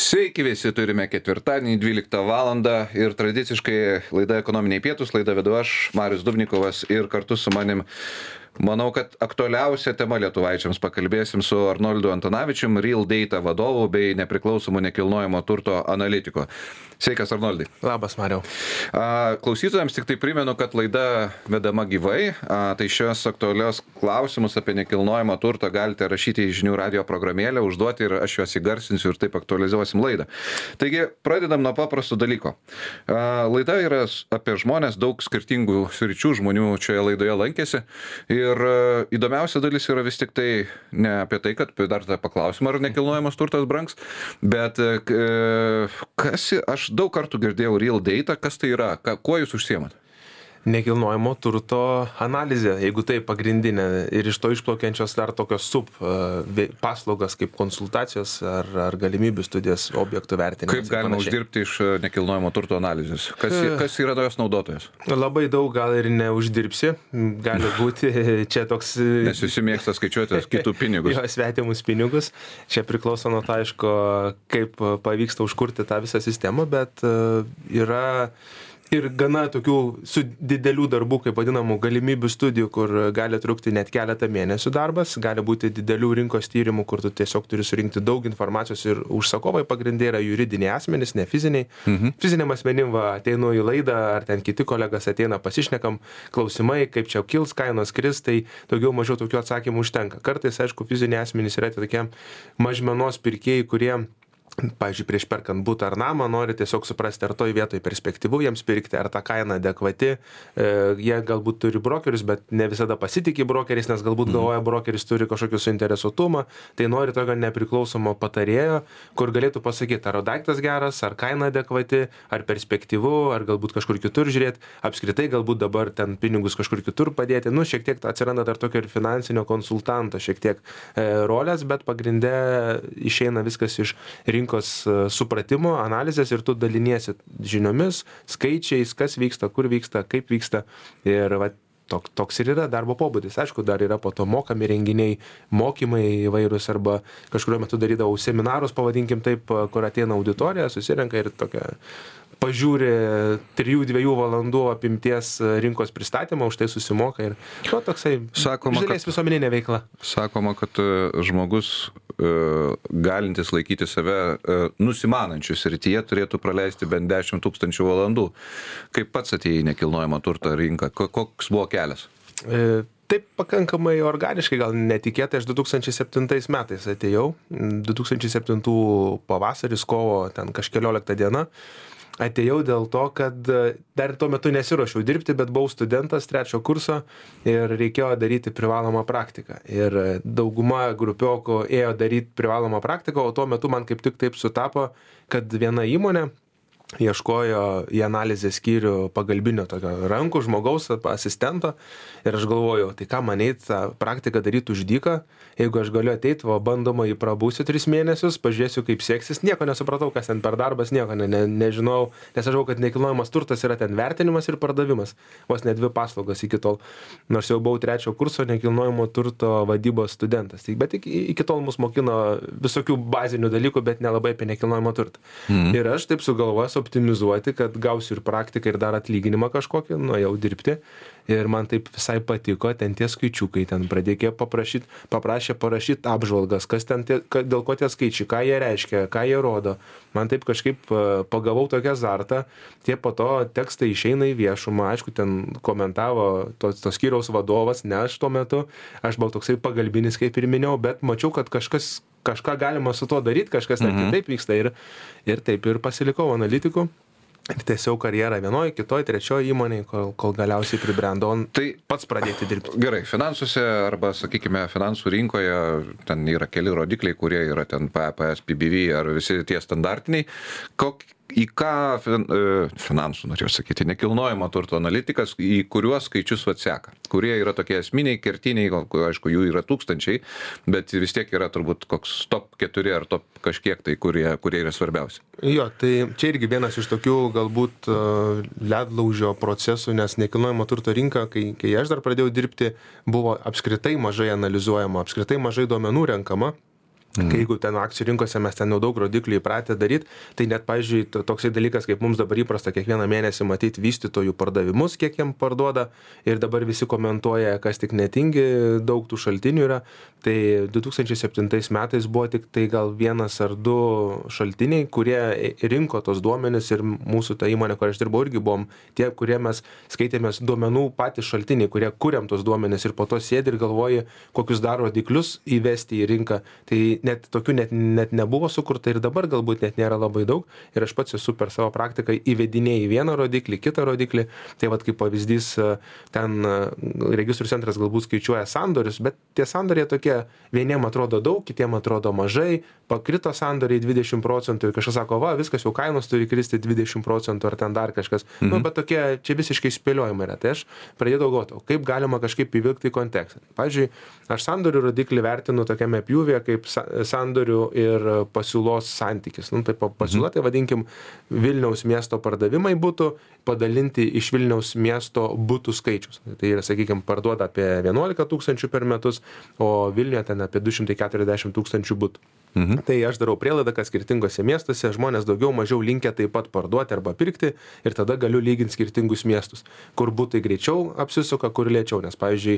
Sveiki visi, turime ketvirtadienį 12 valandą ir tradiciškai laida Ekonominiai pietūs, laida vedu aš, Marius Dubnikovas, ir kartu su manim, manau, kad aktualiausia tema lietuvaičiams pakalbėsim su Arnoldu Antanavičium, Real Data vadovu bei nepriklausomų nekilnojamo turto analitiku. Sveikas, Arnoldai. Labas, Mariau. Klausytojams tik tai primenu, kad laida vedama gyvai, tai šios aktualios klausimus apie nekilnojamą turtą galite rašyti į žinių radio programėlę, užduoti ir aš juos įgarsinsiu ir taip aktualizuosim laidą. Taigi, pradedam nuo paprasto dalyko. Laida yra apie žmonės, daug skirtingų sričių žmonių šioje laidoje lankėsi ir įdomiausia dalis yra vis tik tai ne apie tai, kad dar tą paklausimą, ar nekilnojamas turtas brangs, bet aš daug kartų girdėjau Real Data, kas tai yra, kuo jūs užsiemat? Nekilnojamo turto analizė, jeigu tai pagrindinė, ir iš to išplaukiančios dar tokios paslaugas kaip konsultacijos ar galimybių studijas objektų vertinimas. Kaip galima uždirbti iš nekilnojamo turto analizės? Kas yra jos naudotojas? Labai daug gal ir neuždirbsi, gali būti čia toks... Nes visi mėgsta skaičiuoti kitų pinigus. Jo, svetimus pinigus. Čia priklauso nuo to, aišku, kaip pavyksta užkurti tą visą sistemą, bet yra... Ir gana tokių su didelių darbų, kaip vadinamų galimybių studijų, kur gali trukti net keletą mėnesių darbas, gali būti didelių rinkos tyrimų, kur tu tiesiog turi surinkti daug informacijos ir užsakovai pagrindė yra juridiniai asmenys, ne fiziniai. Fiziniam asmenim ateinu į laidą, ar ten kiti kolegas ateina, pasišnekam klausimai, kaip čia kils kainos kris, tai daugiau mažiau tokių atsakymų užtenka. Kartais, aišku, fiziniai asmenys yra tokie mažmenos pirkėjai, kurie pavyzdžiui, prieš perkant butą ar namą, nori tiesiog suprasti, ar toj vietoj perspektyvu jiems pirkti, ar ta kaina adekvati. Jie galbūt turi brokerius, bet ne visada pasitikė brokeriais, nes galbūt galvoja, brokeris turi kažkokį suinteresuotumą, tai nori tokio nepriklausomo patarėjo, kur galėtų pasakyti, ar daiktas geras, ar kaina adekvati, ar perspektyvu, ar galbūt kažkur kitur žiūrėti, apskritai galbūt dabar ten pinigus kažkur kitur padėti. Šiek tiek atsiranda dar tokio ir finansinio konsultanto šiek tiek rolės, bet pagrinde išeina viskas iš rinkos supratimo, analizės ir tu daliniesi žiniomis, skaičiais, kas vyksta, kur vyksta, kaip vyksta ir toks ir yra darbo pobūdis. Aišku, dar yra po to mokami renginiai, mokymai įvairūs arba kažkurio metu darydavau seminarus, pavadinkim taip, kur ateina auditorija, susirenka ir tokia pažiūri 3-2 valandų apimties rinkos pristatymą, už tai susimoka ir toksai žalės visuomeninė veikla. Sakoma, kad žmogus galintis laikyti save nusimanančių srityje turėtų praleisti bent 10 000 valandų. Kaip pats atėjai į nekilnojamą turto rinką? Koks buvo kelias? Taip pakankamai organiškai, gal netikėtai, aš 2007 metais atėjau, 2007 pavasaris, kovo ten kažkelioliktą dieną. Atėjau dėl to, kad dar tuo metu nesiruošiau dirbti, bet buvau studentas 3 kurso ir reikėjo daryti privalomą praktiką. Ir dauguma grupiokų ėjo daryti privalomą praktiką, o tuo metu man kaip tik taip sutapo, kad viena įmonė ieškojo į analizės skyrių pagalbinio tokio rankų žmogaus, asistento ir aš galvojau, tai ką man eit tą praktiką daryti už dyką, jeigu aš galiu ateiti, bandoma jį prabūsiu 3 mėnesius, pažiūrėsiu kaip seksis, nieko nesupratau, kas ten per darbas, nieko nežinau, nes aš žinau, kad nekilnojamas turtas yra ten vertinimas ir pardavimas, vos ne 2 paslaugas iki tol, nors jau buvau 3 kurso nekilnojamo turto vadybos studentas, bet iki tol mus mokino visokių bazinių dalykų, bet nelabai apie nekilnojamo turtą. Ir aš taip sugalvojau optimizuoti, kad gausiu ir praktiką ir dar atlyginimą kažkokį, nuėjau dirbti ir man taip visai patiko, ten tie skaičiukai, ten pradėjo paprašė parašyti apžvalgas, kas ten dėl ko tie skaičiai, ką jie reiškia, ką jie rodo. Man taip kažkaip pagavau tokią azartą, tie po to tekstai išeina į viešumą, aišku, ten komentavo tos skyriaus vadovas, ne aš tuo metu, aš buvau toksai pagalbinis, kaip ir minėjau, bet mačiau, kad kažką galima su to daryti, kažkas net kitaip vyksta ir taip ir pasilikau analitiku. Ir tiesiog karjerą vienoj, kitoj, trečioj įmonėj, kol galiausiai pribrendau, tai pats pradėti dirbti. Gerai, finansuose arba, sakykime, finansų rinkoje ten yra keli rodikliai, kurie yra ten PPS, PBV ar visi tie standartiniai. Į ką finansų, norėjau sakyti, nekilnojamo turto analitikas, į kuriuos skaičius atseka, kurie yra tokie esminiai, kertiniai, aišku, jų yra tūkstančiai, bet vis tiek yra turbūt koks top 4 ar top kažkiek tai, kurie yra svarbiausi. Jo, tai čia irgi vienas iš tokių galbūt ledlaužio procesų, nes nekilnojamo turto rinka, kai aš dar pradėjau dirbti, buvo apskritai mažai analizuojama, apskritai mažai duomenų renkama. Jeigu ten akcijų rinkose mes ten jau daug rodiklių įpratę daryti, tai net, pavyzdžiui, toksai dalykas, kaip mums dabar įprasta kiekvieną mėnesį matyti vystytojų pardavimus, kiek jiem parduoda, ir dabar visi komentuoja, kas tik netingi, daug tų šaltinių yra. Tai 2007 metais buvo tik tai gal 1 ar 2 šaltiniai, kurie rinko tos duomenis, ir mūsų ta įmonė, kur aš dirbau, irgi buvom tie, kurie mes skaitėmės duomenų patys šaltiniai, kurie kuriam tos duomenis ir po to sėdi ir galvoji, kokius dar rodiklius įvesti į rinką. Tai net tokių net nebuvo sukurta, ir dabar galbūt net nėra labai daug, ir aš pats esu per savo praktiką įvedinėjai vieną rodiklį, kitą rodiklį. Tai vat kaip pavyzdys, ten registrų centras galbūt skaičiuoja sandorius, bet tie sandoriai tokie, vieniem atrodo daug, kitiem atrodo mažai, pakrito sandoriai 20% ir kažkas sako, va, viskas jau kainos turi kristi 20% ar ten dar kažkas. Nu, bet tokie čia visiškai spėliojimai yra. Tai aš pradėjau galvoti, kaip galima kažkaip įvilkti į kontekstą. Pavyzdžiui, aš sandorių rodiklį vertinu tokiame pjūvyje kaip sandorių ir pasiūlos santykis. Nu, tai pasiūla, tai vadinkim, Vilniaus miesto pardavimai būtų padalinti iš Vilniaus miesto butų skaičius. Tai yra, sakykime, parduoda apie 11 tūkstančių per metus, o Vilniuje ten apie 240 tūkstančių butų. Tai aš darau prielaidą, kad skirtingose miestuose žmonės daugiau mažiau linkę taip pat parduoti arba pirkti, ir tada galiu lyginti skirtingus miestus, kur būtai greičiau apsisuka, kur lėčiau. Nes, pavyzdžiui,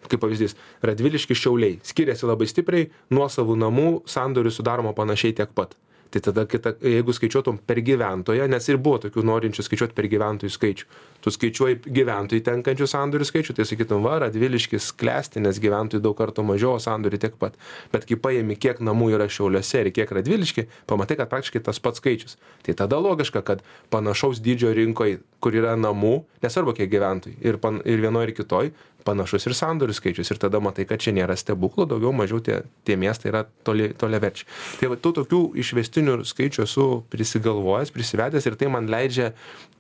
kaip pavyzdys, Radviliškis Šiauliai skiriasi labai stipriai, nuosavų namų sandorių sudaroma panašiai tiek pat. Tai tada, jeigu skaičiuotum per gyventoją, nes ir buvo tokių norinčių skaičiuoti per gyventojų skaičių, tu skaičiuoji gyventojų tenkančių sandorių skaičių, tai sakytum, va, Radviliškis klesti, nes gyventojų daug kartų mažiau, sandorių tiek pat. Bet kai paimi, kiek namų yra Šiauliuose ir kiek Radviliški, pamatai, kad praktiškai tas pats skaičius. Tai tada logiška, kad panašaus dydžio rinkoje, kur yra namų, nesvarbu kiek gyventojų, ir vienoje ir kitoje, panašus ir sandorių skaičius, ir tada matai, kad čia nėra stebuklų, daugiau mažiau tie miestai yra toliaverčiai. Tai va, tų tokių išvestinių skaičių esu prisigalvojęs, prisivedęs, ir tai man leidžia,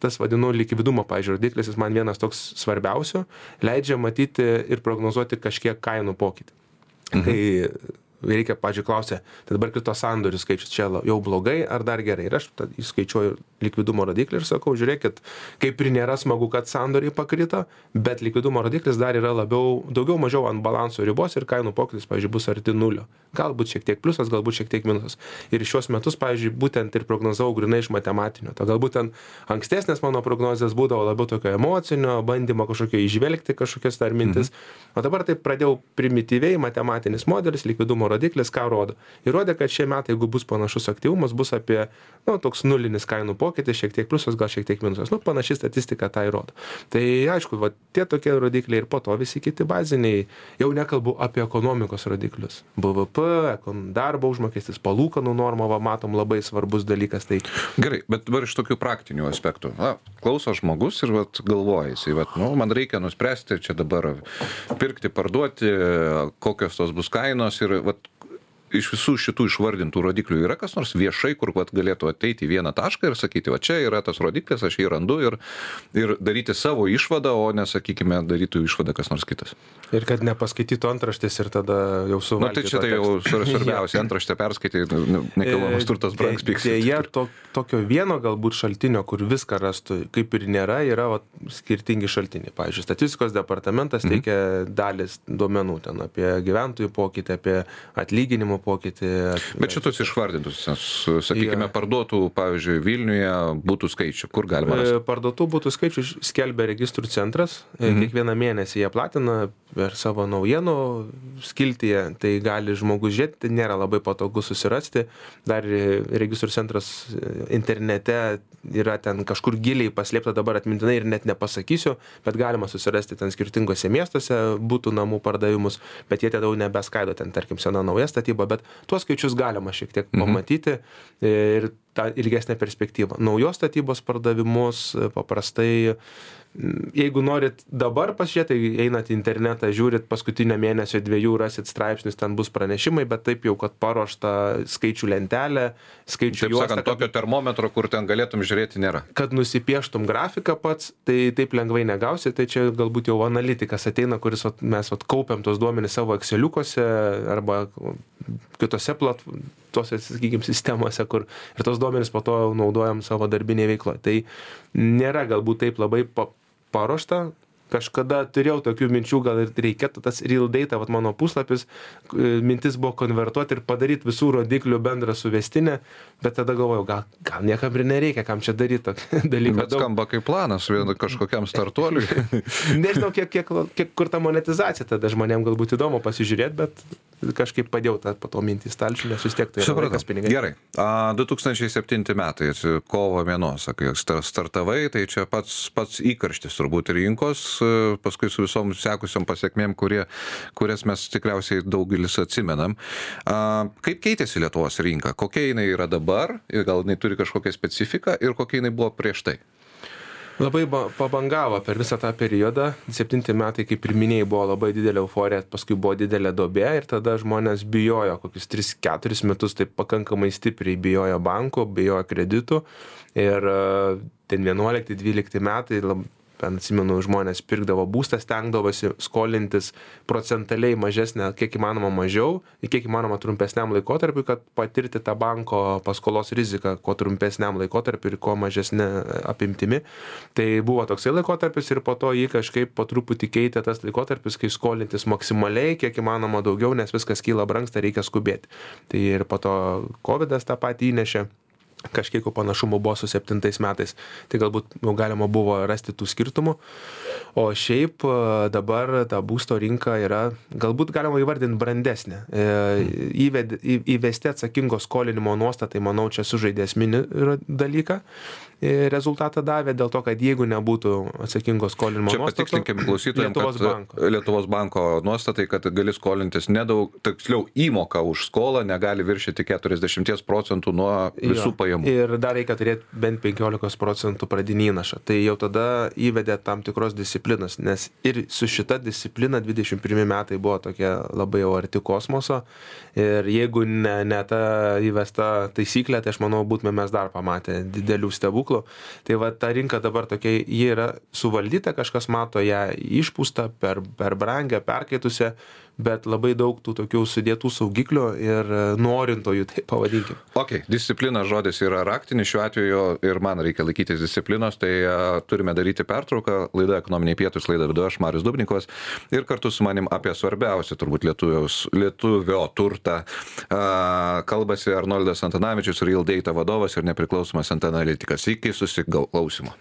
tas vadinu likvidumo, pavyzdžiui, rodiklis, jis man vienas toks svarbiausių, leidžia matyti ir prognozuoti kažkiek kainų pokytį. Kai reikia, pavyzdžiui, klausia, tai dabar krito sandorių skaičius, čia jau blogai ar dar gerai. Ir aš įskaičiuoju likvidumo rodiklį ir sakau, žiūrėkit, kaip ir nėra smagu, kad sandoriai pakrito, bet likvidumo rodiklis dar yra daugiau mažiau ant balanso ribos, ir kainų pokytis, pavyzdžiui, bus arti nulio. Galbūt šiek tiek pliusas, galbūt šiek tiek minusas. Ir šios metus, pavyzdžiui, būtent ir prognozavau grinai iš matematinio. Tai galbūt ten ankstesnės mano prognozės būdavo labiau tokio emocinio bandymo kažkokio įžvelgti kažkokias dar mintis. O dabar taip pradėjau primityviai, matematinis modelis, likvidumo rodiklis, ką rodo. Ir rodė, kad šie metai, jeigu bus panašus aktyvumas, bus apie, toks nulinis kainų pokytis, šiek tiek pliusas, gal šiek tiek minusas. Panaši statistika tai rodo. Tai aišku, tie tokie rodikliai, ir po to visi kiti baziniai, jau nekalbu apie ekonomikos rodiklius. BVP, darbo užmokestis, palūkanų norma, matom, labai svarbus dalykas. Tai... Gerai, bet dabar iš tokių praktinių aspektų. Klauso žmogus ir galvoja, jisai, man reikia nuspręsti čia dabar pirkti, parduoti, kokios tos bus kainos, ir iš visų šitų išvardintų rodiklių yra kas nors viešai, kur galėtų ateiti į vieną tašką ir sakyti, čia yra tas rodiklis, aš jį randu, ir daryti savo išvadą, o nesakykime, darytų išvadą kas nors kitas. Ir kad nepaskaitytų antraštės ir tada jau suvalgytų. Tai čia tai jau svarbiausia, antraštę perskaityti, nekilnojamas turtas brangs pyks. Jie tokio vieno galbūt šaltinio, kur viską rastų, kaip ir nėra, yra skirtingi šaltiniai. Pavyzdžiui, statistikos departamentas teikia dalis duomenų ten apie gyventojų pokytį, apie atlyginimų pokytį. Bet šitus išvardintus, sakykime, parduotų, pavyzdžiui, Vilniuje būtų skaičių, kur galima rasti? Parduotų būtų skaičių skelbia registrų centras, kiekvieną mėnesį jie platina per savo naujienų skiltyje, tai gali žmogus žiūrėti, tai nėra labai patogu susirasti. Dar registrų centras internete yra ten kažkur giliai paslėpta, dabar atmintinai ir net nepasakysiu, bet galima susirasti ten skirtingose miestuose būtų namų pardavimus, bet jie tada jau nebeskaido ten, tarkim, sena nauja statyba, bet tuos skaičius galima šiek tiek pamatyti ir tą ilgesnę perspektyvą. Naujos statybos pardavimus paprastai, jeigu norit dabar pasižiūrėti, tai einat į internetą, žiūrit paskutinio mėnesio 2, rasit straipsnius, ten bus pranešimai, bet taip jau, kad paruošta skaičių lentelė, skaičių juosta. Taip sakant, tokio termometro, kur ten galėtum žiūrėti, nėra. Kad nusipieštum grafiką pats, tai taip lengvai negausi, tai čia galbūt jau analitikas ateina, kuris mes kaupiam tos duomenys savo Exceliukose arba kitose tose, sakykime, sistemose, kur ir tos duomenys po to naudojam savo darbinėje veikloje. Tai nėra galbūt taip labai paruošta, kažkada turėjau tokių minčių, gal ir reikėtų tas real data, vat mano puslapis, mintis buvo konvertuoti ir padaryti visų rodiklių bendrą suvestinę, bet tada galvojau, gal niekam ir nereikia, kam čia daryti tokį dalyką. Bet skamba kaip planas kažkokiam startuoliui. Nežinau, kiek kur ta monetizacija, tada žmonėm galbūt įdomu pasižiūrėti, bet kažkaip padėjau tą po to mintį stalčių, nes vis tiek tai yra laikas pinigai. Gerai. 2007 metai, kovo mėnos, sakai, startavai, tai čia pats įkarštis turbūt rinkos, paskui su visom sekusiom pasiekmėm, kurias mes tikriausiai daugelis atsimenam. Kaip keitėsi Lietuvos rinka? Kokia jinai yra dabar? Gal jinai turi kažkokią specifiką ir kokia jinai buvo prieš tai? Labai pabangavo per visą tą periodą. 7 metai, kaip ir minėjai, buvo labai didelė euforija, paskui buvo didelė duobė ir tada žmonės bijojo, kokius 3-4 metus taip pakankamai stipriai bijojo bankų, bijojo kreditų ir ten 11-12 metai, atsimenu, žmonės pirkdavo būstą, stengdavosi skolintis procentaliai mažesnę, kiek įmanoma mažiau, kiek įmanoma trumpesniam laikotarpiu, kad patirti tą banko paskolos riziką kuo trumpesniam laikotarpiu ir kuo mažesnė apimtimi. Tai buvo toksai laikotarpis ir po to jį kažkaip po truputį keitė tas laikotarpis, kai skolintis maksimaliai, kiek įmanoma daugiau, nes viskas kyla brangsta, reikia skubėti. Tai ir po to COVID'as tą patį įnešė. Kažkiek panašumų buvo su 7 metais, tai galbūt galima buvo rasti tų skirtumų, o šiaip dabar ta būsto rinka yra, galbūt galima įvardinti brandesnė. Įvesti atsakingo skolinimo nuostatai, manau, čia sužaidė esminį dalyką, rezultatą davė, dėl to, kad jeigu nebūtų atsakingo skolinimo nuostatų, čia patikslinkime klausytojams, kad Lietuvos banko nuostatai, kad gali skolintis nedaug, tiksliau įmoka už skolą negali viršyti 40% nuo visų pajamų. Ir dar reikia turėti bent 15% pradinį įnašą. Tai jau tada įvedė tam tikros disciplinos, nes ir su šita disciplina 21 metai buvo tokie labai jau arti kosmoso. Ir jeigu ne ta įvesta taisyklė, tai aš manau, būtume mes dar pamatę didelių stebuklų. Tai va, ta rinka dabar tokia, ji yra suvaldyta, kažkas mato ją išpūstą, per brangę, perkaitusią, bet labai daug tų tokių sudėtų saugiklių ir norintojų, tai pavadinkim. Ok, disciplina žodis yra raktinis šiuo atveju ir man reikia laikytis disciplinos, tai turime daryti pertrauką. Laida Ekonominiai pietūs, laida vedu aš, Marius Dubnikovas, ir kartu su manim apie svarbiausią turbūt lietuvio turtą kalbasi Arnoldas Antanavičius, Real Data vadovas ir nepriklausomas NT analitikas. Iki susiklausimo.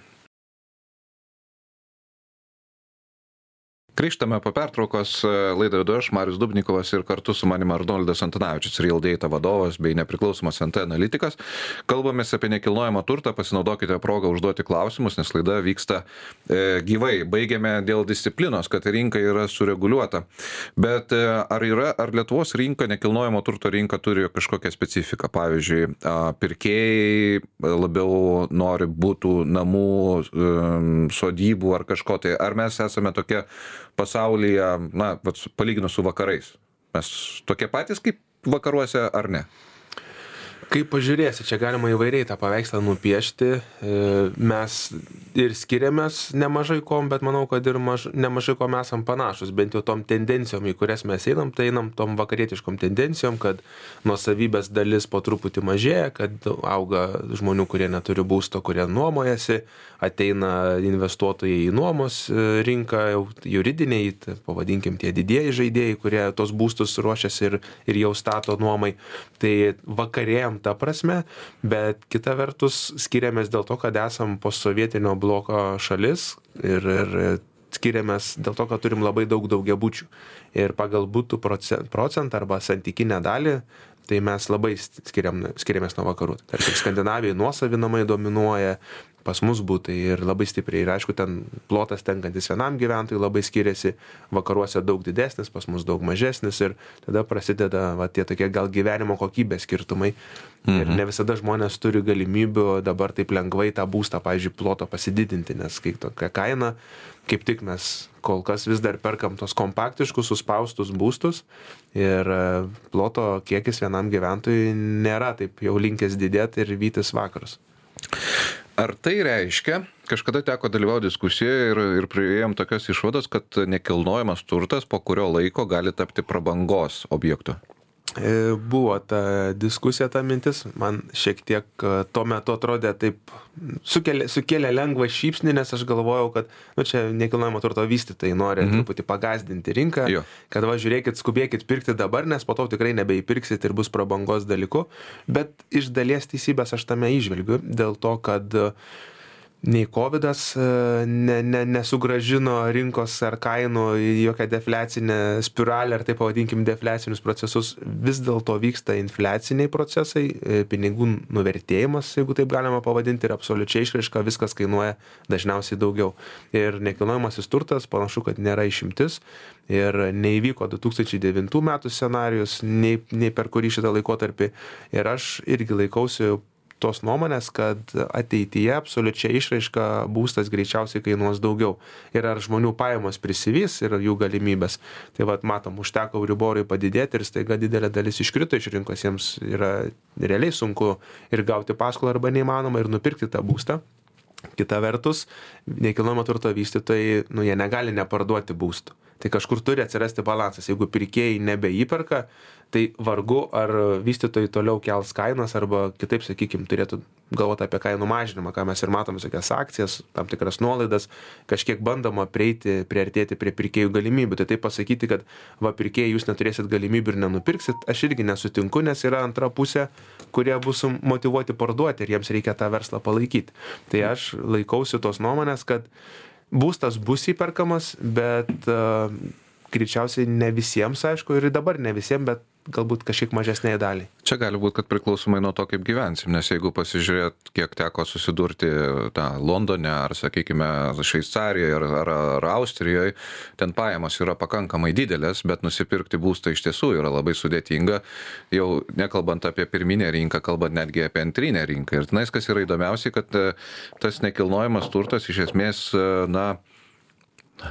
Grįžtame po pertraukos, laidą vedu aš, Marius Dubnikovas, ir kartu su manim Arnoldas Antanavičius, Real Data vadovas bei nepriklausomas NT analitikas. Kalbamės apie nekilnojamą turtą, pasinaudokite progą užduoti klausimus, nes laida vyksta gyvai. Baigėme dėl disciplinos, kad rinka yra sureguliuota. Bet ar Lietuvos rinka, nekilnojamo turto rinka turi kažkokią specifiką? Pavyzdžiui, pirkėjai labiau nori būtų namų, sodybų ar kažko tai. Ar mes esame tokie pasaulyje, palyginus su vakarais? Mes tokie patys kaip vakaruose ar ne? Kaip pažiūrėsi, čia galima įvairiai tą paveikslą nupiešti. Mes ir skiriamės nemažai kom, bet manau, kad ir nemažai kom esam panašus, bent jau tom tendencijom, į kurias mes einam, tai einam tom vakarietiškom tendencijom, kad nuosavybės dalis po truputį mažėja, kad auga žmonių, kurie neturi būsto, kurie nuomojasi, ateina investuotojai į nuomos rinką, juridiniai, pavadinkim tie didieji žaidėjai, kurie tos būstus ruošiasi ir jau stato nuomai. Tai vakarėjam ta prasme, bet kita vertus skiriamės dėl to, kad esam postsovietinio bloko šalis ir skiriamės dėl to, kad turim labai daug daugiabučių. Ir pagal butų procentą arba santykinę dalį, tai mes labai skiriamės nuo vakarų. Tarkim, Skandinavijai nuosavi namai dominuoja, pas mus būtai ir labai stipriai. Ir aišku, ten plotas tenkantis vienam gyventojui labai skiriasi, vakaruose daug didesnis, pas mus daug mažesnis ir tada prasideda tie tokie gal gyvenimo kokybės skirtumai. Ir ne visada žmonės turi galimybių dabar taip lengvai tą būstą, pavyzdžiui, ploto pasididinti, nes kai tokia kaina, kaip tik mes kol kas vis dar perkam tos kompaktiškus, suspaustus būstus ir ploto kiekis vienam gyventojui nėra taip jau linkęs didėti ir vytis vakarus. Ar tai reiškia, kažkada teko dalyvauti diskusijoje ir priėjom tokios išvados, kad nekilnojamas turtas po kurio laiko gali tapti prabangos objektu? Buvo ta diskusija, ta mintis, man šiek tiek tuo metu atrodė taip, sukėlė lengvą šypsnį, nes aš galvojau, kad čia nekilnojamo turto vystytojai nori truputį pagazdinti rinką, kad žiūrėkit, skubėkit pirkti dabar, nes po to tikrai nebeįpirksit ir bus prabangos dalyku, bet iš dalies teisybės aš tame įžvelgiu, dėl to, kad nei Covidas nesugrąžino rinkos ar kainų į jokią defliacinę spiralę, ar taip pavadinkim defliacinius procesus, vis dėlto vyksta infliaciniai procesai, pinigų nuvertėjimas, jeigu taip galima pavadinti, ir absoliučiai išraiška, viskas kainuoja dažniausiai daugiau. Ir nekilnojamasis turtas panašu, kad nėra išimtis ir neįvyko 2009 metų scenarijus, nei per kurį šitą laikotarpį. Ir aš irgi laikausi tos nuomonės, kad ateityje absoliučiai išraiška būstas greičiausiai kainuos daugiau. Ir ar žmonių pajamos prisivys ir jų galimybės. Tai matom, užteko Euriborui padidėti ir staiga didelė dalis iškrito iš rinkos, jiems yra realiai sunku ir gauti paskolą arba neįmanoma ir nupirkti tą būstą. Kita vertus, nekilnojamo turto vystytojai, jie negali neparduoti būstų. Tai kažkur turi atsirasti balansas. Jeigu pirkėjai nebeįperka, tai vargu ar vystytojai toliau kels kainas arba kitaip, sakykim, turėtų galvoti apie kainų mažinimą, ką mes ir matome, tokias akcijas, tam tikras nuolaidas, kažkiek bandoma priartėti prie pirkėjų galimybių. Tai pasakyti, kad pirkėjai jūs neturėsit galimybių ir nenupirksit, aš irgi nesutinku, nes yra antra pusė, kurie bus motyvuoti parduoti ir jiems reikia tą verslą palaikyti. Tai aš laikausi tos nuomonės, kad būstas bus įperkamas, bet greičiausiai ne visiems, aišku, ir dabar ne visiems, bet galbūt kažkiek mažesnėje daliai. Čia gali būti, kad priklausomai nuo to, kaip gyvensim, nes jeigu pasižiūrėt, kiek teko susidurti Londone ar, sakykime, Šveicarijoje ar Austrijoje, ten pajamos yra pakankamai didelės, bet nusipirkti būstą iš tiesų yra labai sudėtinga, jau nekalbant apie pirminę rinką, kalbant netgi apie antrinę rinką. Ir tenais, kas yra įdomiausiai, kad tas nekilnojamas turtas iš esmės,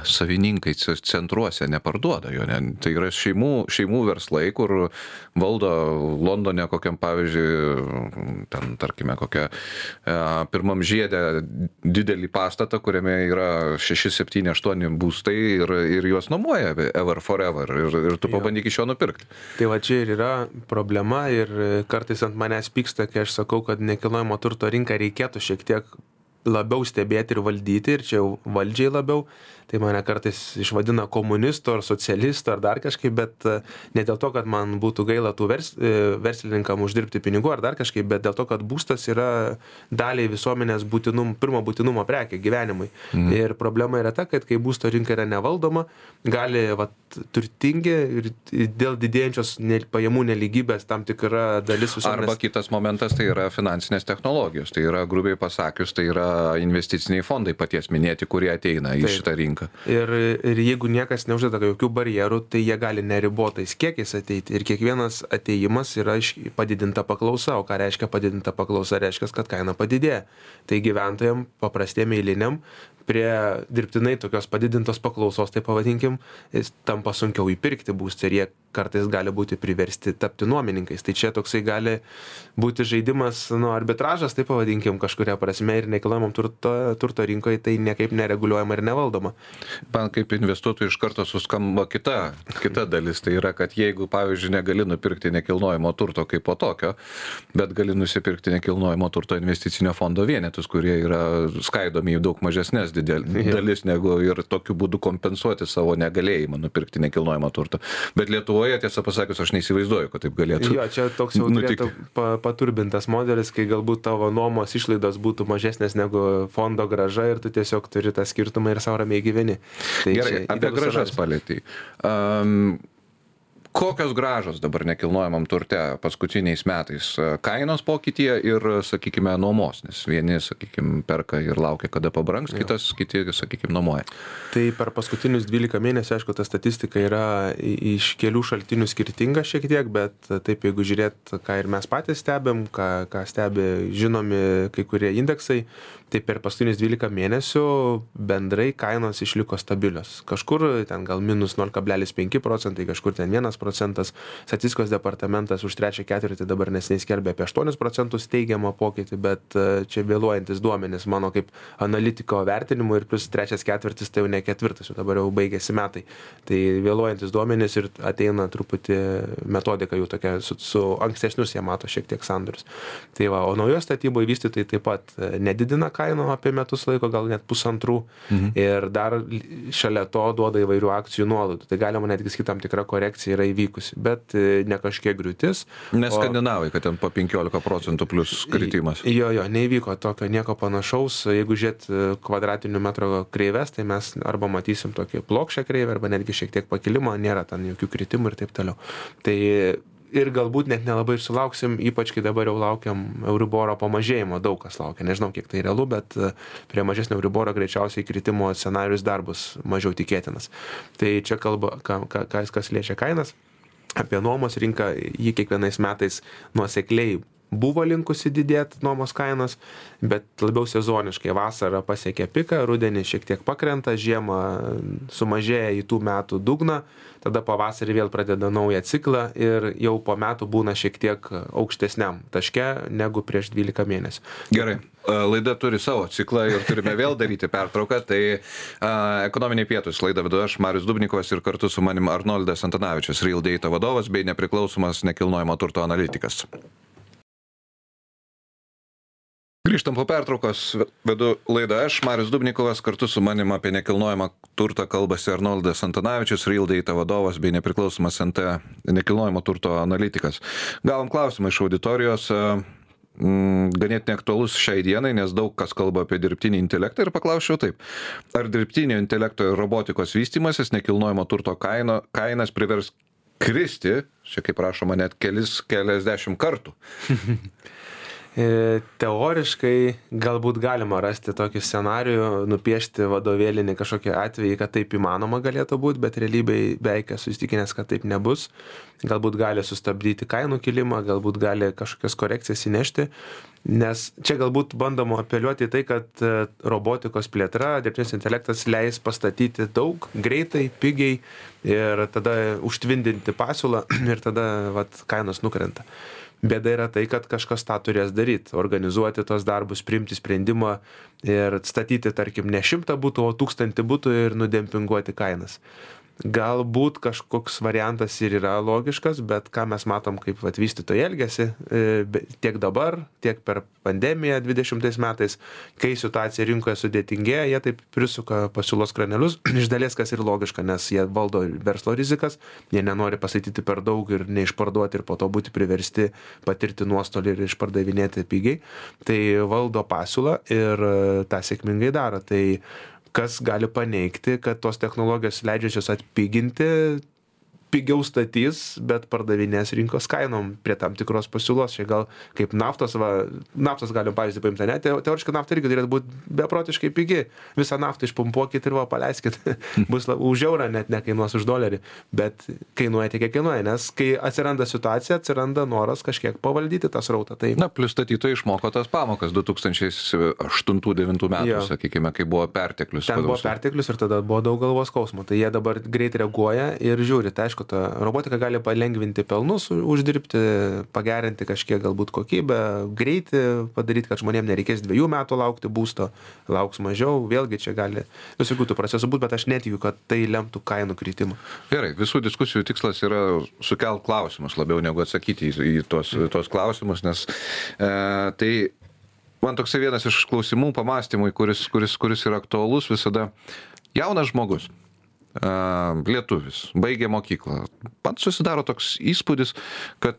savininkai centruose neparduoda jo. Tai yra šeimų verslai, kur valdo Londone kokiam, pavyzdžiui, ten, tarkime, kokią pirmam žiede didelį pastatą, kuriame yra 6, 7, 8 būstai ir juos nuomoja ever forever ir tu pabandyk iš jo nupirkti. Tai čia ir yra problema ir kartais ant manęs pyksta, kai aš sakau, kad nekilnojamo turto rinką reikėtų šiek tiek labiau stebėti ir valdyti, ir čia jau valdžiai labiau. Tai mane kartais išvadina komunistu ar socialistu ar dar kažkaip, bet ne dėl to, kad man būtų gaila tų verslininkam uždirbti pinigų ar dar kažkaip, bet dėl to, kad būstas yra daliai visuomenės pirmo būtinumo prekė gyvenimui. Ir problema yra ta, kad kai būsto rinka yra nevaldoma, gali turtingi ir dėl didėjančios pajamų nelygybės tam tikra dalis visuomenės. Arba kitas momentas, tai yra finansinės technologijos, tai yra grubiai pasakius, tai yra investiciniai fondai paties minėti, kurie ateina į šitą rinką. Ir jeigu niekas neuždeda jokių barjerų, tai jie gali neribotais kiekiais ateiti. Ir kiekvienas ateimas yra padidinta paklausa. O ką reiškia padidinta paklausa? Reiškia, kad kaina padidėja. Tai gyventojams, paprastiem eiliniam, prie dirbtinai tokios padidintos paklausos, tai pavadinkim, tampa sunkiau įpirkti būstą ir jie kartais gali būti priversti tapti nuomininkais. Tai čia toksai gali būti žaidimas, arbitražas, tai pavadinkim, kažkuria prasme, ir nekilnojamo turto rinkoje tai niekaip nereguliuojama ir nevaldoma. Man kaip investuotojui iš karto suskamba kita dalis, tai yra, kad jeigu, pavyzdžiui, negali nupirkti nekilnojamo turto kaip po tokio, bet gali nusipirkti nekilnojamo turto investicinio fondo vienetus, kurie yra skaidomi į daug mažesnės dalis negu ir tokiu būdu kompensuoti savo negalėjimą nupirkti nekilnojamą turtą. Bet Lietuvoje, tiesą pasakius, aš neįsivaizduoju, kad taip galėtų. Jo, čia toks jau turėtų paturbintas modelis, kai galbūt tavo nuomos išlaidos būtų mažesnės negu fondo grąža ir tu tiesiog turi tą skirtumą ir savo ramiai gyveni. Tai gerai, apie grąžas palėtei. Kokios grąžos dabar nekilnojamam turte paskutiniais metais? Kainos pokytyje ir, sakykime, nuomos, nes vieni, sakykime, perka ir laukia, kada pabrangs, kiti, sakykime, nuomoja. Tai per paskutinius 12 mėnesių, aišku, ta statistika yra iš kelių šaltinių skirtinga šiek tiek, bet taip, jeigu žiūrėt, ką ir mes patys stebėm, ką stebi žinomi kai kurie indeksai, tai per paskutinius 12 mėnesių bendrai kainos išliko stabilios. Kažkur ten gal minus 0,5%, kažkur ten 1%. procentas. Statistikos departamentas už trečią ketvirtį dabar neseniai skelbė apie 8% teigiamą pokytį, bet čia vėluojantis duomenys mano kaip analitiko vertinimu ir plus trečias ketvirtis tai jau ne ketvirtas, jau dabar jau baigėsi metai. Tai vėluojantis duomenys ir ateina truputį metodika jų tokia, su ankstesnius jie mato šiek tiek sandorius. Tai va, o naujo statyboje vystytojai taip pat nedidina kainų apie metus laiko, gal net 1,5 ir dar šalia to duoda įvairių akcijų nuolaidų. Tai galima netgi sakyti, tam tikra korekcija yra įvykusi, bet ne kažkiek griūtis. Nes skandinavai, kad ten po 15% plus kritimas. Jo, neįvyko tokio nieko panašaus. Jeigu žiūrėt kvadratinių metrų kreives, tai mes arba matysim tokį plokščią kreivę, arba netgi šiek tiek pakilimą, nėra ten jokių kritimų ir taip toliau. Tai ir galbūt net nelabai ir sulauksim, ypač kai dabar jau laukiam Euriboro pamažėjimo, daug kas laukia, nežinau kiek tai realu, bet prie mažesnio Euriboro greičiausiai kritimo scenarius dar bus mažiau tikėtinas. Tai čia kalba, kas liečia kainas, apie nuomos rinką, jį kiekvienais metais nuosekliai buvo linkusi didėti nuomos kainos, bet labiau sezoniškai. Vasarą pasiekia piką, rudenį šiek tiek pakrenta, žiemą sumažėja į tų metų dugną, tada pavasarį vėl pradeda naują ciklą ir jau po metų būna šiek tiek aukštesniam taške negu prieš 12 mėnesių. Gerai. Laida turi savo ciklą ir turime vėl daryti pertrauką. Tai ekonominiai pietūs laidą vedu aš, Marius Dubnikovas, ir kartu su manim Arnoldas Antanavičius, Real Data vadovas bei nepriklausomas nekilnojamo turto analitikas. Grįžtam po pertraukos, vedu laidą aš, Marius Dubnikovas, kartu su manim apie nekilnojamą turtą kalbasi Arnoldas Antanavičius, Real Data vadovas bei nepriklausomas NT nekilnojamo turto analitikas. Gavom klausimą iš auditorijos, ganėtinai aktualus šiai dienai, nes daug kas kalba apie dirbtinį intelektą ir paklausčiau taip. Ar dirbtinio intelekto ir robotikos vystymasis nekilnojamo turto kainas privers kristi, čia kaip rašoma, net keliasdešimt kartų? Teoriškai galbūt galima rasti tokį scenarijų, nupiešti vadovėlinį kažkokį atvejį, kad taip įmanoma galėtų būti, bet realybėj beveik esu įsitikinęs, kad taip nebus. Galbūt gali sustabdyti kainų kilimą, galbūt gali kažkokias korekcijas įnešti, nes čia galbūt bandoma apeliuoti į tai, kad robotikos plėtra, dirbtinis intelektas leis pastatyti daug, greitai, pigiai ir tada užtvindinti pasiūlą ir tada kainos nukrenta. Bėda yra tai, kad kažkas tą turės daryti, organizuoti tos darbus, priimti sprendimą ir statyti, tarkim, ne 100 butų, o 1000 butų ir nudempinguoti kainas. Galbūt kažkoks variantas ir yra logiškas, bet ką mes matom, kaip vystytojai elgiasi tiek dabar, tiek per pandemiją 20 metais, kai situacija rinkoje sudėtingėja, jie taip prisuka pasiūlos kranelius, iš dalies kas ir logiška, nes jie valdo verslo rizikas, jie nenori pasakyti per daug ir neišparduoti ir po to būti priversti patirti nuostolį ir išpardavinėti pigiai, tai valdo pasiūlą ir tą sėkmingai daro. Tai kas gali paneigti, kad tos technologijos leidžiančios atpiginti, pigiau statys, bet pardavinės rinkos kainom prie tam tikros pasiūlos. Čia gal kaip naftos galim pavyzdį paimti, ne? Teoriškai nafta irgi turėtų būti beprotiškai pigi. Visą naftą išpumpuokit ir paleiskit. Bus už eurą, net nekainuos už $1, bet kainuoja tiek, kiek kainuoja, nes kai atsiranda situacija, atsiranda noras kažkiek pavaldyti tą srautą. Tai... Na, plus statytojai išmoko tas pamokas 2008-2009 metų, sakykime, kai buvo perteklius. Ten buvo perteklius ir tada buvo daug galvos skausmo. Tai jie dabar greit reaguoja ir žiūri. Tai aišku, ta robotika gali palengvinti pelnus, uždirbti, pagerinti kažkiek galbūt kokybę, greitį padaryti, kad žmonėms nereikės 2 metų laukti būsto, lauks mažiau, vėlgi čia gali visokių tų procesų būti, bet aš netikiu, kad tai lemtų kainų kritimą. Gerai, visų diskusijų tikslas yra sukelt klausimus labiau negu atsakyti į tos klausimus, nes tai man toksai vienas iš klausimų pamastymui, kuris yra aktualus visada. Jaunas žmogus, lietuvis, baigė mokyklą. Man susidaro toks įspūdis, kad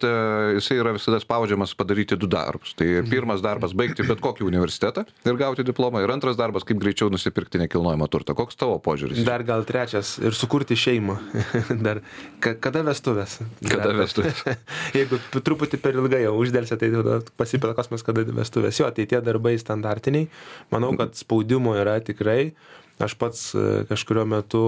jisai yra visada spaudžiamas padaryti 2 darbus. Tai pirmas darbas baigti bet kokį universitetą ir gauti diplomą, ir antras darbas kaip greičiau nusipirkti nekilnojamą turtą. Koks tavo požiūris? Dar gal trečias ir sukurti šeimą. Dar kada vestuvės? Kada vestuvės? Jeigu truputį per ilgai jau uždelsė, tai pasipila klausimas, kada vestuvės. Jo, tai tie darbai standartiniai. Manau, kad spaudimo yra tikrai. Aš pats kažkurio metu,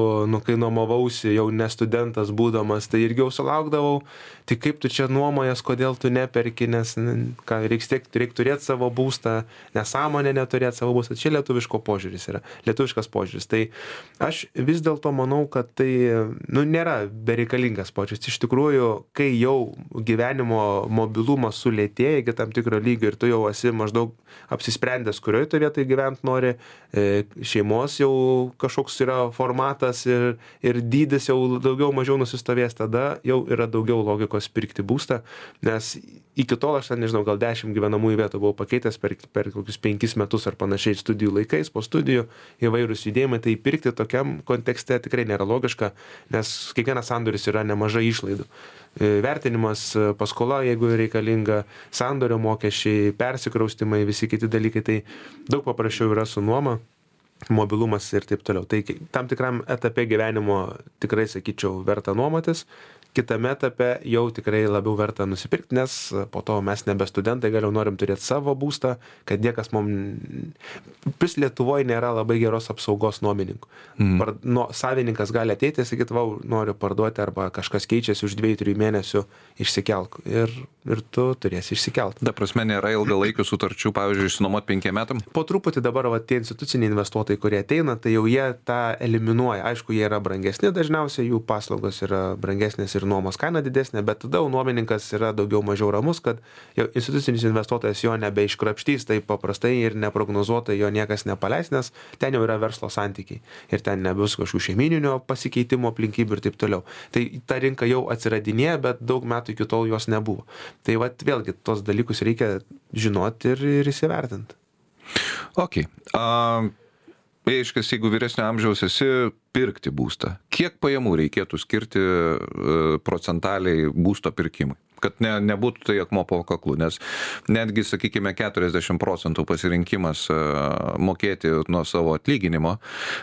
kai nuomavausi jau ne studentas būdamas, tai irgi jau sulaukdavau, tai kaip tu čia nuomojas, kodėl tu neperki, nes reikia turėti savo būstą, nesąmonė neturėti savo būstą. Čia lietuviškas požiūris. Tai aš vis dėlto manau, kad tai nėra bereikalingas požiūris. Iš tikrųjų, kai jau gyvenimo mobilumas sulėtėja iki tam tikro lygio ir tu jau esi maždaug apsisprendęs, kurioje tu vietoje gyventi nori, šeimos jau kažkoks yra formatas ir dydis jau daugiau mažiau nusistovės, tada jau yra daugiau logikos pirkti būstą, nes iki tol aš nežinau, gal 10 gyvenamųjų vietų buvau pakeitęs per kokius 5 metus ar panašiai studijų laikais, po studijų įvairūs judėjimai, tai pirkti tokiam kontekste tikrai nėra logiška, nes kiekvienas sandoris yra nemažai išlaidų. Vertinimas, paskola, jeigu reikalinga, sandorio mokesčiai, persikraustimai, visi kiti dalykai, tai daug paprasčiau yra su nuoma, mobilumas ir taip toliau. Tai tam tikram etape gyvenimo tikrai, sakyčiau, verta nuomotis, kitame etape jau tikrai labiau verta nusipirkti, nes po to mes nebe studentai, galiau norim turėti savo būstą, kad niekas Vis Lietuvoje nėra labai geros apsaugos nuomininkų. Savininkas gali ateiti ir sakyti, noriu parduoti, arba kažkas keičiasi už 2-3 mėnesių, išsikelk. Ir tu turėsi išsikelt. Ta prasme, nėra ilgalaikių sutarčių, pavyzdžiui, išsinuomot 5 metam? Po truputį dabar tie instituciniai investuotojai, kurie ateina, tai jau jie tą eliminuoja. Aišku, jie yra brangesni, dažniausiai jų paslaugos yra brangesnės ir nuomos kaina didesnė, bet tada nuomininkas yra daugiau mažiau ramus, kad jau institucinis investuotojas jo nebeiškrapštys taip paprastai ir neprognozuotai jo niekas nepaleis, nes ten jau yra verslo santykiai ir ten nebus kažkokių šeimininio pasikeitimo aplinkybių ir taip toliau. Tai ta rinka jau atsiradinėja, bet daug metų iki tol jos nebuvo. Tai vėlgi tos dalykus reikia žinoti ir įsivertinti. Ok. Aiškiai, jeigu vyresnio amžiaus esi, pirkti būstą. Kiek pajamų reikėtų skirti procentaliai būsto pirkimui? Kad nebūtų tai akmuo po kaklu, nes netgi, sakykime, 40% pasirinkimas mokėti nuo savo atlyginimo,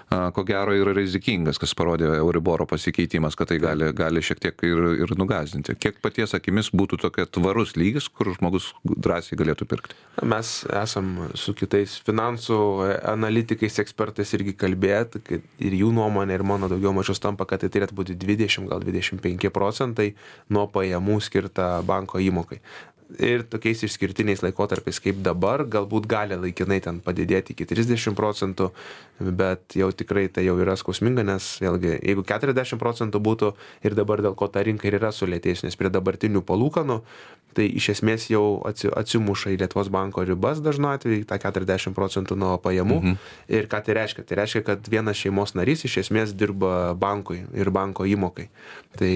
ko gero yra rizikingas, kas parodė Euriboro pasikeitimas, kad tai gali šiek tiek ir nugąsdinti. Kiek paties akimis būtų tokia tvarus lygis, kur žmogus drąsiai galėtų pirkti? Mes esam su kitais finansų analitikais, ekspertais irgi kalbėti, ir jų nuomonė ir mano daugiau mažiau tampa, kad tai turėtų būti 20, gal 25% nuo pajamų skirta banko įmokai. Ir tokiais išskirtiniais laikotarpiais kaip dabar, galbūt gali laikinai ten padidėti iki 30%, bet jau tikrai tai jau yra skausminga, nes vėlgi, jeigu 40% būtų ir dabar dėl ko ta rinka ir yra sulėtėjus, nes prie dabartinių palūkanų, tai iš esmės jau atsimuša į Lietuvos banko ribas dažnu atveju, tą 40% nuo pajamų. Ir ką tai reiškia? Tai reiškia, kad vienas šeimos narys iš esmės dirba bankui ir banko įmokai. Tai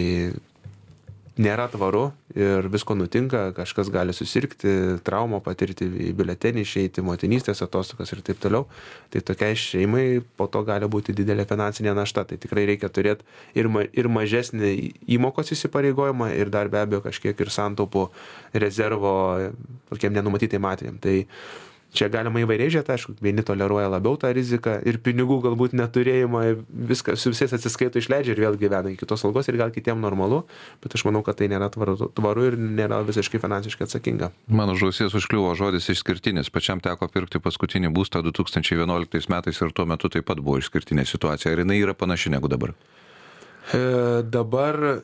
nėra tvaru ir visko nutinka, kažkas gali susirgti, traumą patirti, į biuletenį išeiti, motinystės atostogas ir taip toliau. Tai tokiai šeimai po to gali būti didelė finansinė našta. Tai tikrai reikia turėti ir mažesnį įmokos įsipareigojimą ir dar be abejo kažkiek ir santaupų rezervo tokiem nenumatytiem atvejam. Tai čia galima įvairiai žiūrėti, aišku, vieni toleruoja labiau tą riziką ir pinigų galbūt neturėjimą, viską su visais atsiskaito, išleidžia ir vėl gyvena iki kitos algos ir gal kitiem normalu, bet aš manau, kad tai nėra tvaru ir nėra visiškai finansiškai atsakinga. Mano žausies užkliuvo žodis išskirtinis. Pačiam teko pirkti paskutinį būstą 2011 metais ir tuo metu taip pat buvo išskirtinė situacija. Ar jinai yra panaši negu dabar? Dabar